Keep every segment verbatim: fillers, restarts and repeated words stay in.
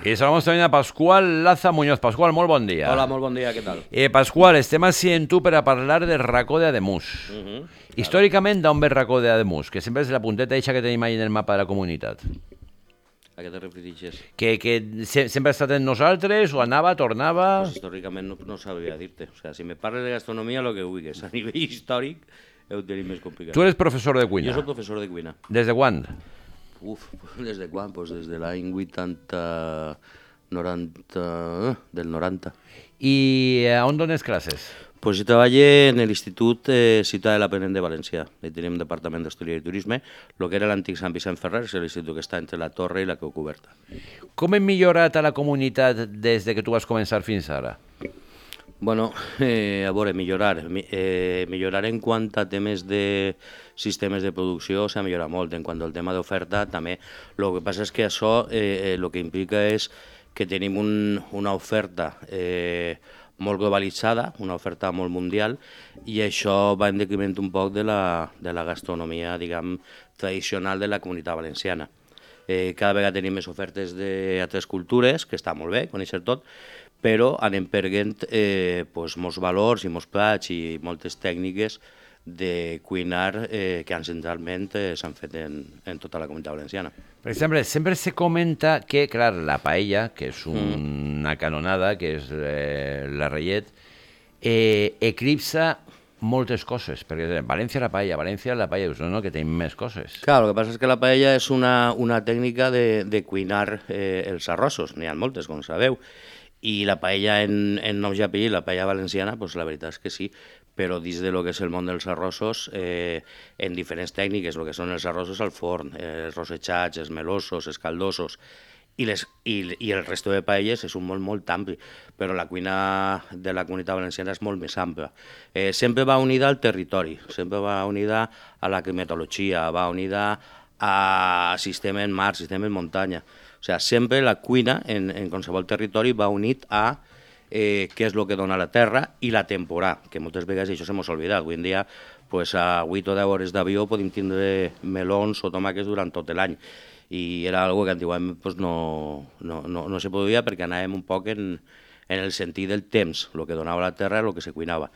I saludamos també a Pasqual Laza Muñoz. Pasqual, molt bon dia. Hola, molt bon dia, què tal? Eh, Pasqual, estem així en tu per a parlar del racó d'Ademús. Uh -huh, Històricament, d'on ve el racó d'Ademús? Que sempre és la punteta eixa que tenim ahí en el mapa de la comunitat. A què te refereixes? Que, que se, sempre ha estat en nosaltres, o anava, tornava... Pues històricament no, no sabria dir-te. O sea, si me parles de gastronomia, lo que vulguis. A nivell històric, ho tenim més complicat. Tu eres professor de cuina. Jo soc professor de cuina. Des de quan? Uf, des de quan? Pues des de l'any vuitanta... noranta... del noranta. I a on dones classes? Pues jo treballé en l'Institut eh, Ciutat de l'Aprenent de València. Hi tenim un departament d'Hostaleria i Turisme, el que era l'antic Sant Vicent Ferrer, és l'institut que està entre la Torre i la Creu Coberta. Com hem millorat a la comunitat des de que tu vas començar fins ara? Bueno, eh, a veure, millorar. Eh, millorar en quant a temes de sistemes de producció s'ha millorat molt. En quant al tema d'oferta, també. El que passa és que això eh, el que implica és que tenim un, una oferta eh, molt globalitzada, una oferta molt mundial, i això va en decriment un poc de la, de la gastronomia, diguem, tradicional de la comunitat valenciana. Eh, cada vegada tenim més ofertes d'altres cultures, que està molt bé, conèixer tot, però anem perdent eh, pues, molts valors i molts plats i moltes tècniques de cuinar eh, que ancestralment eh, s'han fet en, en tota la comunitat valenciana. Per exemple, sempre se comenta que, clar, la paella, que és un, una canonada, que és eh, la rellet, eh, eclipsa moltes coses, perquè València la paella, València la paella, no, no, que tenim més coses. Clar, el que passa és que la paella és una, una tècnica de, de cuinar eh, els arrossos, n'hi ha moltes, com sabeu, i la paella en, en noms i apellids, la paella valenciana, pues la veritat és que sí, però dins de lo que és el món dels arrossos, eh, en diferents tècniques, el que són els arrossos al forn, eh, els rossetxats, els melosos, els caldosos, i, les, i, i el resto de paelles és un món molt ampli, però la cuina de la comunitat valenciana és molt més ampla. Eh, sempre va unida al territori, sempre va unida a la climatologia, va unida a sistema en mar, sistema en muntanya. O sigui, sempre la cuina en, en qualsevol territori va unit a eh, què és el que dona la terra i la temporada, que moltes vegades això se m'ha oblidat. Avui en dia, pues, a vuit o deu hores d'avió podem tindre melons o tomàquets durant tot l'any, i era algo que antigament pues, no, no, no, no se podia perquè anàvem un poc en, en el sentit del temps, el que donava la terra i el que se cuinava.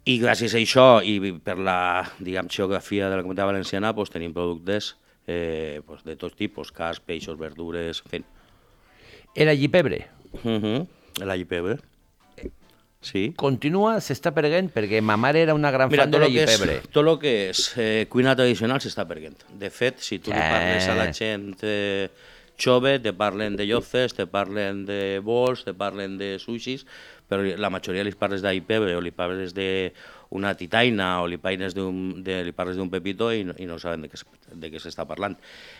I gràcies a això i per la, diguem, geografia de la comunitat valenciana pues, tenim productes eh, pues, de tots tipus, carns, peixos, verdures, en fi. El allipebre. Uh -huh. L'allipebre. Sí. Continua, s'està perdent, perquè ma mare era una gran Mira, fan de l'allipebre. Tot el que és eh, cuina tradicional s'està perdent. De fet, si tu li parles a la gent eh, jove, te parlen de llofes, te parlen de bols, te parlen de sushis, però la majoria li parles d'allipebre o li parles d'una titaina o li parles d'un de, li parles d'un pepito i no, i no saben de què, de què s'està parlant.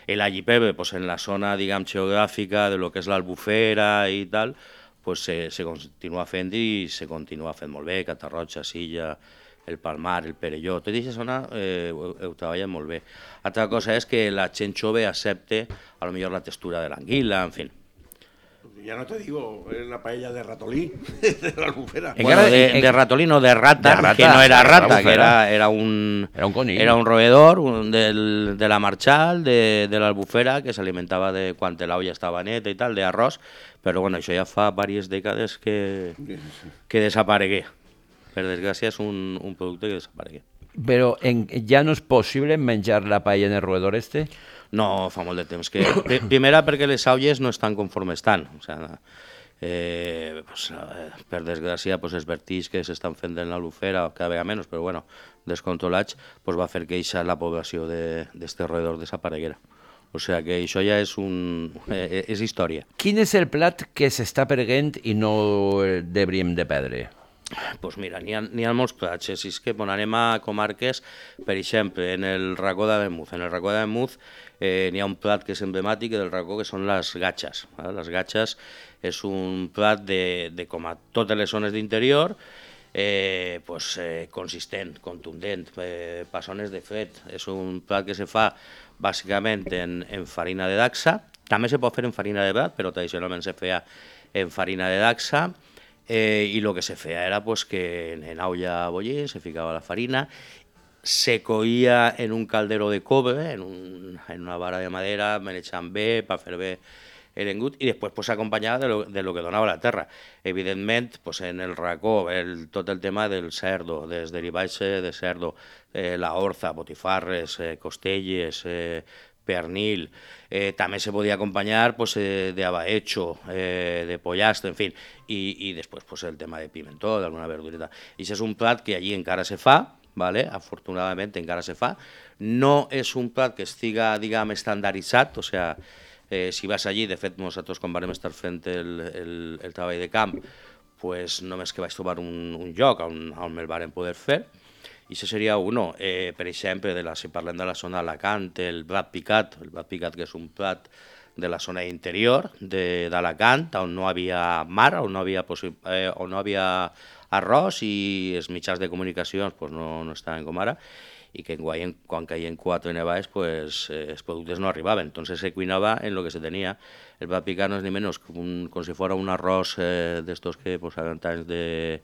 L'allipebre, pues, en la zona, diguem, geogràfica de lo que és l'Albufera i tal, pues se, se continua fent i se continua fent molt bé, Catarroja, Silla, el Palmar, el Perelló, tota aquesta zona eh, ho, ho treballen molt bé. Altra cosa és que la gent jove accepte a lo millor la textura de l'anguila, en fi. Ya no te digo, es la paella de ratolí, de la Albufera. Bueno, de, de ratolí, no, de rata, de rata, que no era rata, que era, era un... Era un conill. Era un roedor un, del, de la Marchal, de, de l'Albufera, que s'alimentava de quan l'olla estava neta i tal, d'arròs, però bueno, això ja fa diverses dècades que, que desaparegué. Per desgràcia és un, un producte que desaparegué. Però en, ja no és possible menjar la paella en el roedor este? No, fa molt de temps que... Primera, perquè les aulles no estan conforme estan. O sigui, eh, pues, per desgràcia, pues, els vertigs que s'estan fent en l'Albufera, cada vegada menys, però bueno, descontrolats, pues, va fer que eixa la població d'este roedor desapareguera. O sigui que això ja és, un, eh, és història. Quin és el plat que s'està perdent i no deuríem de perdre? Doncs pues mira, n'hi ha, ha molts plats. Si és que quan anem a comarques, per exemple, en el racó d'Ademús, en el racó d'Ademús eh, n'hi ha un plat que és emblemàtic del racó, que són les gatxes. Eh? Les gatxes és un plat de, de com a totes les zones d'interior, eh, pues, eh, consistent, contundent, eh, passones de fred. És un plat que se fa bàsicament en, en farina de dacsa. També se pot fer en farina de blat, però tradicionalment se feia en farina de dacsa. Eh, i el que se feia era pues, que en, en olla a bullir se ficava la farina, se coïa en un caldero de cobre, en, un, en una vara de madera, manejant bé, per fer bé eren good, i després pues, s'acompanyava de, lo, de lo que donava la terra. Evidentment, pues, en el racó, el, tot el tema del cerdo, dels derivats de cerdo, eh, la orza, botifarres, eh, costelles, eh, pernil, eh, també se podia acompanyar pues, eh, de abahecho, eh, de pollastre, en fi, i, i després pues, el tema de pimentó, d'alguna verdureta. I això és un plat que allí encara se fa, vale? Afortunadament encara se fa. No és un plat que estiga, diguem, estandarditzat, o sigui, eh, si vas allí, de fet, nosaltres quan vam estar fent el, el, el treball de camp, pues, només que vaig trobar un, un lloc on, on el varen poder fer, i això seria uno. Eh, per exemple, de la, si parlem de la zona d'Alacant, el blat picat, el blat picat que és un plat de la zona interior d'Alacant, on no havia mar, on no havia, eh, on no havia arròs i els mitjans de comunicacions pues, no, no estaven com ara, i que en, quan caien quatre nevades pues, eh, els productes no arribaven. Entonces se cuinava en lo que se tenia. El blat picat no és ni menys que un, com si fos un arròs eh, d'estos que posaven tants de...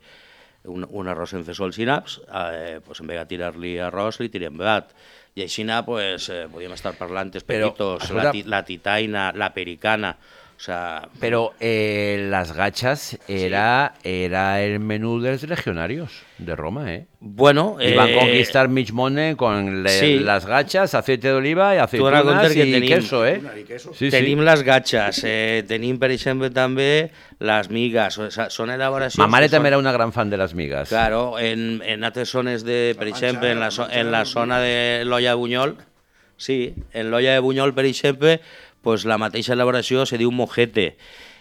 Un, un arròs en fesols i naps, eh, pues en vez de tirar-li arròs, li tirem blat. I així pues, eh, podíem estar parlant els pepitos, la, la titaina, la pericana, o sea... Pero eh, las gachas era, sí. era el menú de los legionarios de Roma, ¿eh? Bueno... Iban eh, a conquistar Michmone con le, sí. las gachas, aceite de oliva y aceitunas y tenim, queso, ¿eh? Sí, tenim sí. les gachas, eh, tenim, per exemple, també les migues, o sea, són elaboracions... Ma mare també són... era una gran fan de les migues. Claro, en, en altres zones, de, per exemple, en la, en la zona de l'Olla de Bunyol, sí, en l'Olla de Bunyol, per exemple, pues la mateixa elaboració se diu mojete.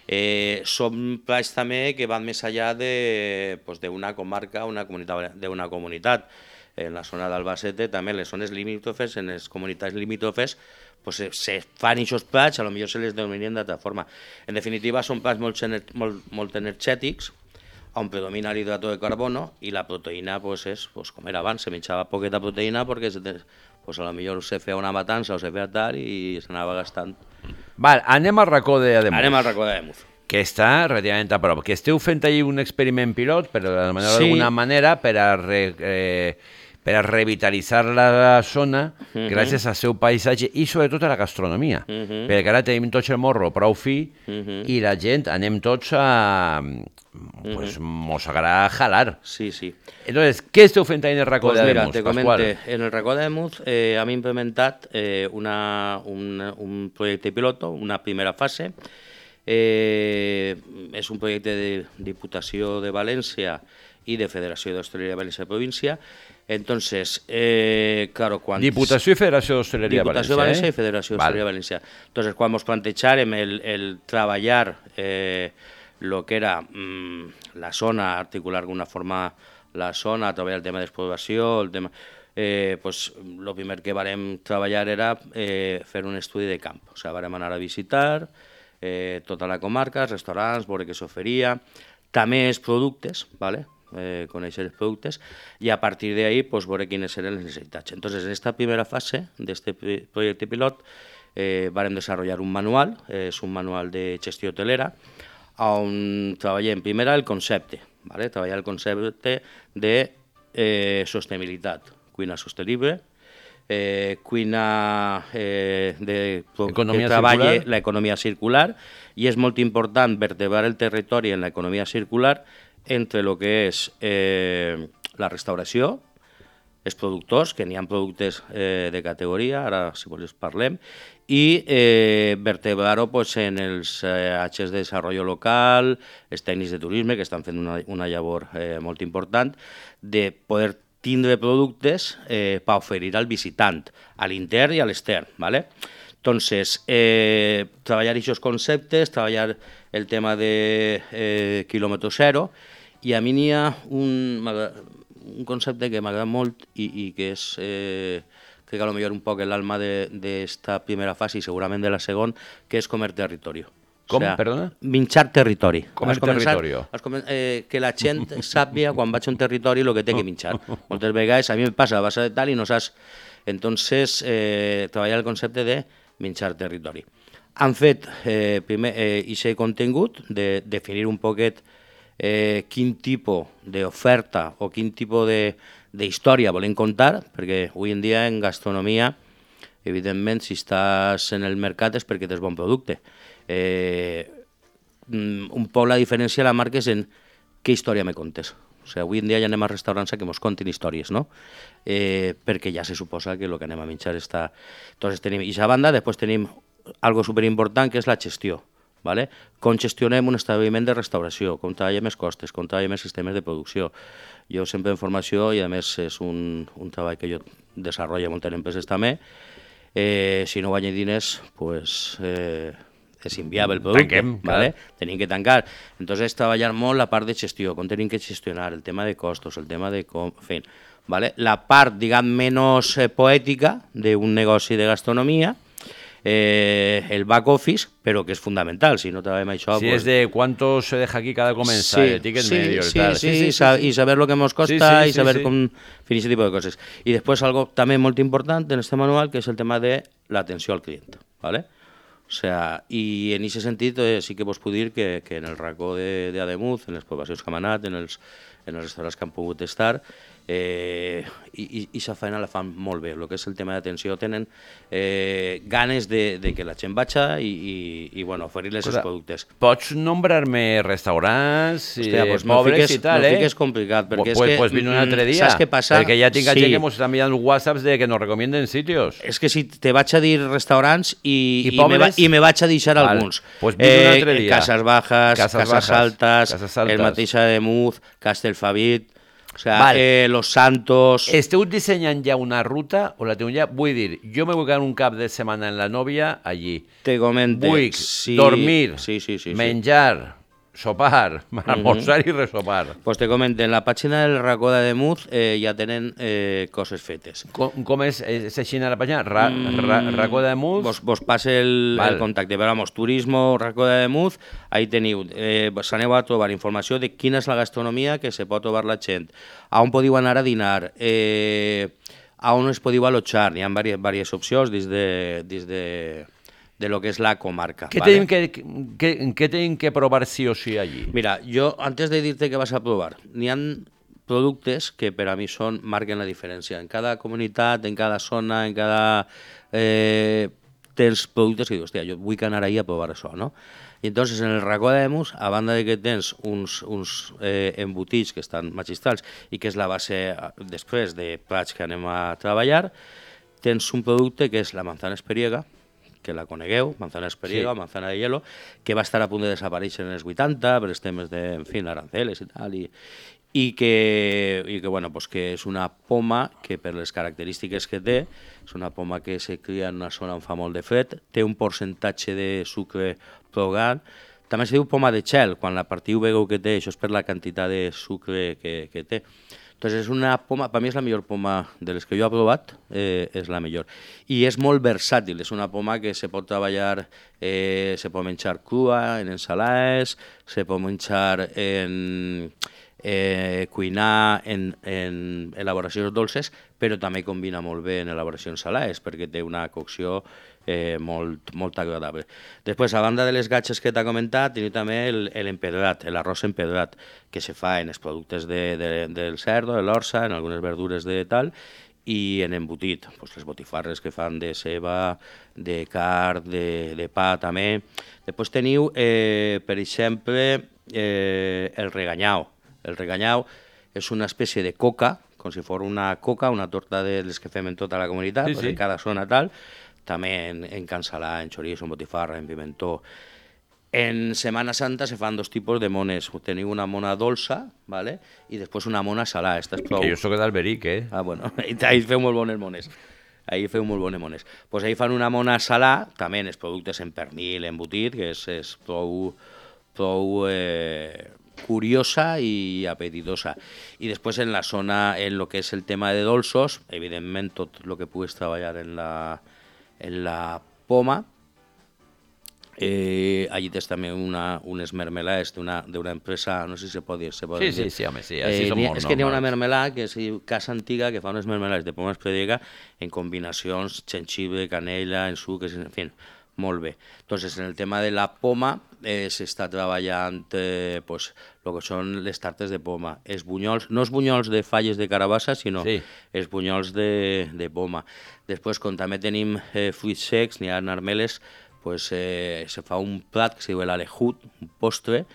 Eh, són plats també que van més enllà d'una pues, comarca, una comunitat, d'una comunitat. En la zona d'Albacete, també les zones limítrofes, en les comunitats limítrofes, pues, se, se fan aquests plats, a lo millor se les denominen d'altra forma. En definitiva, són plats molt, molt, molt energètics, on predomina l'hidrato de carbono, i la proteïna pues, és, pues, com era abans, se menjava poqueta proteïna perquè pues, a lo millor se feia una matança o se feia tal i s'anava gastant. Val, anem al racó d'Ademuz. Anem al racó d'Ademuz. Que està relativament a prop. Que esteu fent allí un experiment pilot, però d'alguna sí. manera, per a, re, eh, per a revitalitzar la zona, uh -huh. gràcies al seu paisatge i sobretot a la gastronomia. Uh -huh. Perquè ara tenim tots el morro prou fi uh -huh. i la gent anem tots a... pues uh -huh. mos agrada jalar. Sí, sí. Entonces, què esteu fent ahí en el racó pues d'Ademuz, mira, te comente, en el racó d'Ademuz eh, hem implementat eh, una, un, un projecte piloto, una primera fase. Eh, és un projecte de Diputació de València i de Federació d'Hostaleria de València Província. Entonces, eh, claro, quan... Diputació i Federació d'Hostaleria de València. Diputació de València eh? i Federació d'Hostaleria de València. Entonces, quan ens plantejarem el, el treballar eh, lo que era mmm, la zona, articular d'alguna forma la zona, treballar el tema d'exploració, el tema... Eh, pues, lo primer que varem treballar era eh, fer un estudi de camp. O sigui, varem anar a visitar eh, tota la comarca, restaurants, veure què s'oferia, també els productes, ¿vale? Eh, conèixer els productes, i a partir d'ahí pues, veure quines eren les necessitats. Entonces, en esta primera fase d'este projecte pilot eh, varem desenvolupar un manual, eh, és un manual de gestió hotelera, on treballem primer el concepte, ¿vale? Treballar el concepte de eh, sostenibilitat, cuina sostenible, eh, cuina eh, de, economia que treballe circular. l'economia circular, i és molt important vertebrar el territori en l'economia circular entre el que és eh, la restauració, els productors, que n'hi ha productes eh, de categoria, ara si vols parlem, i eh, vertebrar-ho pues, en els eh, H de desenvolupament local, els tècnics de turisme, que estan fent una, una llavor eh, molt important, de poder tindre productes eh, per oferir al visitant, a l'intern i a l'extern, ¿vale? Entonces, eh, treballar aquests conceptes, treballar el tema de eh, quilòmetre zero, i a mi n'hi ha un, un concepte que m'agrada molt i, i que és, eh, crec que potser un poc l'alma d'esta primera fase i segurament de la segona, que és comer territori. Com, o sea, perdona? Minxar territori. Comer territori. Eh, que la gent sàpia quan vaig a un territori el que té que minxar. Moltes vegades a mi em passa, vas a tal i no saps... Entonces, eh, treballar el concepte de minxar territori. Han fet, eh, primer, eh, aquest contingut de definir un poquet eh, quin tipus d'oferta o quin tipus d'història volem contar, perquè avui en dia en gastronomia, evidentment, si estàs en el mercat és perquè tens bon producte. Eh, un poc la diferència de la marca és en què història me contes. O sigui, avui en dia ja anem a restaurants a que mos contin històries, no? Eh, perquè ja se suposa que el que anem a menjar està... Entonces tenim, i a banda, després tenim algo superimportant que és la gestió, ¿vale? Com gestionem un establiment de restauració, com treballem els costes, com treballem els sistemes de producció. Jo sempre en formació, i a més és un, un treball que jo desenvolupo a moltes empreses també, eh, si no guanyo diners, pues... Eh, és inviable el producte, Tanquem, ¿vale? Tenim que tancar. Entonces, treballar molt la part de gestió, com tenim que gestionar, el tema de costos, el tema de com... En fin, ¿vale? La part, diguem, menys eh, poètica d'un negoci de gastronomia, eh, el back office, però que és fundamental, si no treballem això... Si pues... és de cuánto se deja aquí cada comensal, sí, el ticket sí, medio, sí, tal. Sí, sí, sí, sí, sí, y saber lo que nos costa sí, sí, y saber sí, sí. com fin ese tipo de cosas. Y después algo también muy importante en este manual, que es el tema de la atenció al cliente, ¿vale? O sea, i en aquest sentit eh, sí que vos puc dir que, que en el racó de, de Ademuz, en les poblacions que hem anat, en els, en els restaurants que han pogut estar, eh, i aquesta feina la fan molt bé. El que és el tema d'atenció, tenen eh, ganes de, de que la gent vaja i, i, i bueno, oferir-les els productes. Pots nombrar-me restaurants Hòstia, pues pobres fiques, i tal, no eh? fiques complicat, perquè pues, és que... Pues vine un altre dia, saps què passa? perquè ja tinc sí. gent que ens està enviant whatsapps de que nos recomienden sitios. És que si te vaig a dir restaurants i, I, i, me, va, i me vaig a deixar Val. alguns. Pues vine un altre dia. Casas Bajas, Casas Casas, Bajas, Altas, Casas Altas, el mateix Ademuz, Castelfabit, o sea, Val. eh, Los Santos... Esteu dissenyant ja una ruta o la teniu ja? Vull dir, jo me vull quedar un cap de setmana en la nòvia allí. Te comente. Vull sí, dormir, sí, sí, sí, menjar, sopar, almorzar uh -huh. i resopar. Pues te comento, en la pàgina del racó d'Ademuz eh, ja tenen eh, coses fetes. Com, com és, és així a la pàgina? Ra, ra, racó d'Ademuz? Vos, vos passe el, el contacte. Però, vamos, turismo, racó d'Ademuz, ahí teniu. Eh, s'aneu a trobar informació de quina és la gastronomia que se pot trobar la gent, a on podeu anar a dinar, eh, a on es podeu allotjar. Hi ha diverses, diverses opcions des de... Des de de lo que es la comarca. ¿Qué, ¿vale? tienen que, que, ¿Qué tienen que probar sí o sí allí? Mira, yo antes de decirte que vas a probar, n'hi ha productes que per a mi són, marquen la diferència. En cada comunitat, en cada zona, en cada... Eh, tens productes que dius, hòstia, jo vull anar ahí a provar això, no? I entonces en el racó d'Ademuz, a banda de que tens uns, uns eh, embotits que estan magistrals i que és la base després de plats que anem a treballar, tens un producte que és la manzana esperiega, que la conegueu, manzana esperiega, sí. Manzana de hielo, que va estar a punt de desaparèixer en els vuitanta per els temes de, en fi, aranceles i tal, i, i, que, i que, bueno, pues que és una poma que per les característiques que té, és una poma que se cria en una zona on fa molt de fred, té un percentatge de sucre prou gran, també se diu poma de gel, quan la partiu vegeu que té, això és per la quantitat de sucre que, que té. Entonces és una poma, per mi és la millor poma de les que jo he provat, eh, és la millor. I és molt versàtil, és una poma que se pot treballar, eh, se pot menjar crua, en ensalades, se pot menjar en... Eh, cuinar en, en elaboracions dolces, però també combina molt bé en elaboracions salades, perquè té una cocció eh, molt, molt agradable. Després, a banda de les gatxes que t'ha comentat, tenim també l'empedrat, l'arròs empedrat, que se fa en els productes de, de, del cerdo, de l'orça, en algunes verdures de tal, i en embotit, pues les botifarres que fan de ceba, de carn, de, de pa també. Després teniu, eh, per exemple, eh, el reganyau. El reganyau és una espècie de coca, com si fos una coca, una torta de les que fem en tota la comunitat, sí, sí. En cada zona tal, també en, en cansalà, en chorizo, en botifarra, en pimentó. En Setmana Santa se fan dos tipus de mones. Teniu una mona dolça, ¿vale? I després una mona salada. Esta és prou... Que jo soc d'Alberic, eh? Ah, bueno, ahí feu molt bones mones. Ahí feu molt bones mones. Pues ahí fan una mona salada, també en els productes en pernil, embotit, que és, és prou... prou eh, curiosa i apetitosa. I després en la zona, en lo que és el tema de dolços, evidentment tot el que puguis treballar en la, en la poma, eh, allí tens també una, unes mermelades d'una empresa, no sé si se pot dir. Se pot sí, dir. sí, sí, home, sí, així eh, són molt És que n'hi ha una mermelada que és Casa Antiga, que fa unes mermelades de poma esperiega en combinacions, jengibre, canella, en suques, en fi, molt bé. Entonces, en el tema de la poma eh, s'està treballant eh, pues, lo que són les tartes de poma. Els bunyols, no els bunyols de falles de carabassa, sinó sí. Els bunyols de, de poma. Després, com també tenim eh, fruits secs, n'hi ha armeles, pues, eh, se fa un plat que se diu l'alejut, un postre,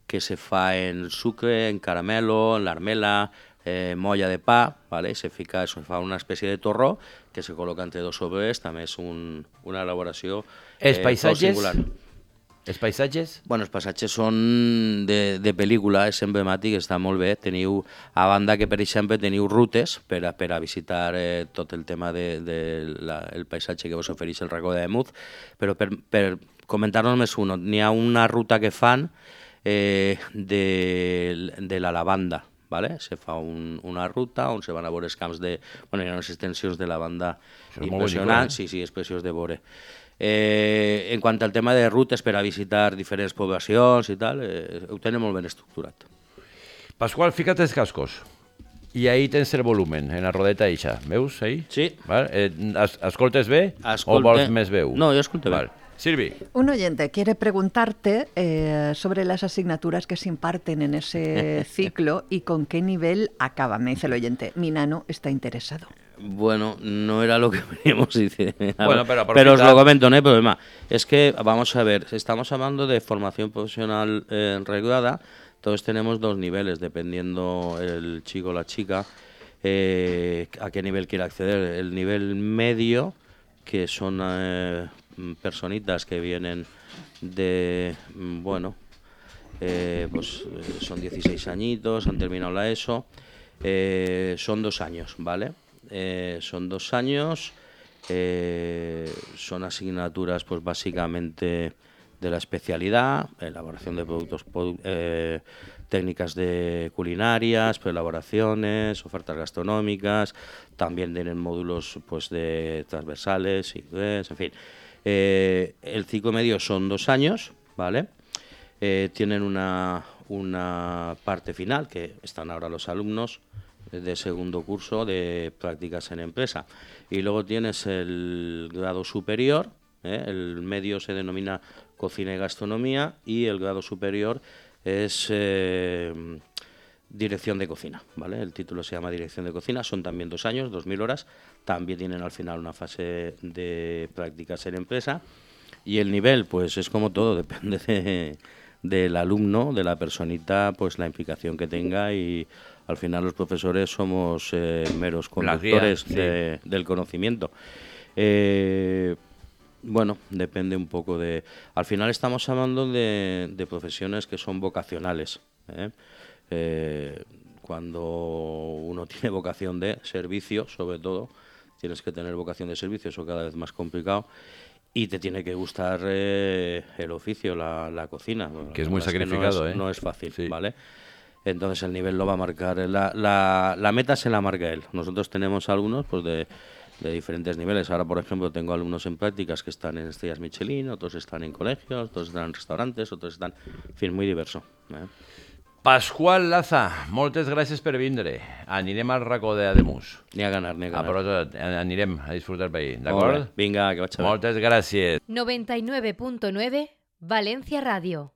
que se fa en sucre, en caramelo, en l'armela, eh, molla de pa, ¿vale? Se fica, se fa una espècie de torró que se col·loca entre dos sobres, també és un, una elaboració Els eh, paisatges? singular. Els paisatges? Bueno, els passatges són de, de pel·lícula, és emblemàtic, està molt bé. Teniu, a banda que, per exemple, teniu rutes per a, per a visitar eh, tot el tema del de, de la, el paisatge que vos ofereix el racó de Muz, però per, per comentar-nos més un, n'hi ha una ruta que fan eh, de, de la lavanda, ¿vale? Se fa un, una ruta on se van a veure els camps de... Bueno, hi ha unes extensions de lavanda impressionants, eh? sí, sí, és preciós de veure. Eh, en quant al tema de rutes per a visitar diferents poblacions i tal, eh, ho tenen molt ben estructurat. Pasqual, fica't els cascos. I ahí tens el volumen, en la rodeta eixa. Veus, ahí? Sí. Vale. Eh, es, escoltes bé Escolte... o vols més veu? No, jo escolto bé. Vale. Silvi. Un oyente quiere preguntarte eh, sobre las asignaturas que se imparten en ese ciclo y con qué nivel acaban. Me dice el oyente, mi nano está interesado. Bueno, no era lo que veníamos diciendo. Bueno, pero, pero os lo comento, no hay problema. Es que, vamos a ver, estamos hablando de formación profesional eh, regulada, entonces tenemos dos niveles, dependiendo el chico o la chica eh, a qué nivel quiere acceder. El nivel medio, que son eh, personitas que vienen de, bueno, eh, pues eh, son dieciséis añitos, han terminado la ESO, eh, son dos años, ¿vale? Eh, son dos años, eh, son asignaturas pues básicamente de la especialidad, elaboración de productos, eh, técnicas de culinarias, elaboraciones, ofertas gastronómicas, también tienen módulos pues de transversales, inglés, en fin. Eh, el ciclo medio son dos años, ¿vale? Eh, tienen una, una parte final, que están ahora los alumnos de segundo curso de prácticas en empresa. Y luego tienes el grado superior, ¿eh? El medio se denomina cocina y gastronomía y el grado superior es eh, dirección de cocina, ¿vale? El título se llama dirección de cocina, son también dos años, dos mil horas, también tienen al final una fase de prácticas en empresa y el nivel, pues es como todo, depende de, del alumno, de la personita, pues la implicación que tenga y al final los profesores somos eh, meros conductores guía, de, sí. del conocimiento. Eh, bueno, depende un poco de... Al final estamos hablando de, de profesiones que son vocacionales. ¿eh? Eh, cuando uno tiene vocación de servicio, sobre todo, tienes que tener vocación de servicio, eso cada vez más complicado, y te tiene que gustar eh, el oficio, la, la cocina. Que es muy sacrificado, es que no es, ¿eh? No es fácil, sí. ¿vale? Entonces el nivel lo va a marcar, la, la, la meta se la marca él. Nosotros tenemos alumnos pues de, de diferentes niveles. Ahora, por ejemplo, tengo alumnos en prácticas que están en estrellas Michelin, otros están en colegios, otros están en restaurantes, otros están... En fin, muy diverso. ¿eh? Pasqual Laza, moltes gràcies per vindre. Anirem al racó d'Ademús. Ni a ganar, ni a ganar. A però anirem a disfrutar per ahí, d'acord? Vinga, que vaig a ver. Moltes gràcies. noventa y nueve punto nueve Valencia Radio.